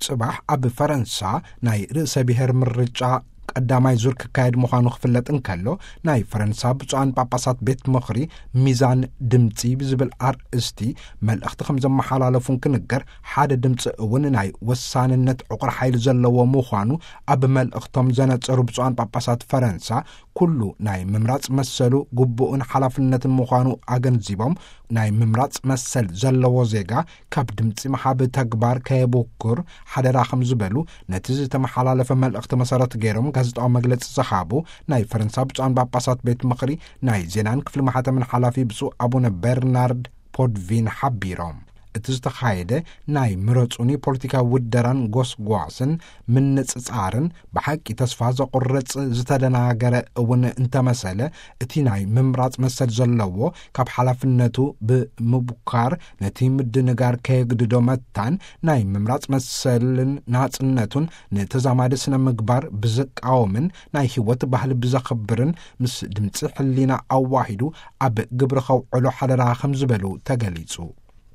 ጽባሕ ኣብ ፈረንሳ ናይ ርእሰ ብሔር ምርጫ ቀዳማይ ዙር ክካየድ ምዃኑ ክፍለጥ እንከሎ፣ ናይ ፈረንሳ ብፁዓን ጳጳሳት ቤት ምኽሪ ሚዛን ድምጺ ብዝብል ኣርእስቲ መልእኽቲ ከም ዘመሓላለፉን ክንገር፣ ሓደ ድምጺ እውን ናይ ወሳንነት ዕቑር ሓይሊ ዘለዎ ምዃኑ ኣብ መልእኽቶም ዘነጸሩ ብፁዓን ጳጳሳት ፈረንሳ፣ ኩሉ ናይ ምምራጽ መሰሉ ግቡእን ሓላፍነትን ምዃኑ ኣገንዚቦም፣ ናይ ምምራጽ መሰል ዘለዎ ዜጋ ካብ ድምጺ ምሃብ ተግባር ከየብኩር ሓደራ ከም ዝበሉ፣ ነቲ ዝተመሓላለፈ መልእኽቲ መሰረት ገይሮም ጋዜጣዊ መግለጺ ዝሃቡ ናይ ፈረንሳ ብፁዓን ጳጳሳት ቤት ምኽሪ ናይ ዜናን ክፍሊ ማሕተምን ሓላፊ ብፁዕ ኣቡነ በርናርድ ፖድቪን ሓቢሮም። እቲ ዝተኻየደ ናይ ምረጹኒ ፖለቲካዊ ውደራን ጎስጓስን ምንጽጻርን ብሓቂ ተስፋ ዘቑርጽ ዝተደናገረ እውን እንተመሰለ፣ እቲ ናይ ምምራጽ መሰል ዘለዎ ካብ ሓላፍነቱ ብምቡካር ነቲ ምድንጋር ከየግድዶ መታን፣ ናይ ምምራጽ መሰልን ናጽነቱን ንተዛማዲ ስነ ምግባር ብዝቃወምን ናይ ህይወት ባህሊ ብዘኽብርን ምስ ድምጺ ሕሊና ኣዋሂዱ ኣብ ግብሪ ከውዕሎ ሓደራ ከም ዝበሉ ተገሊጹ።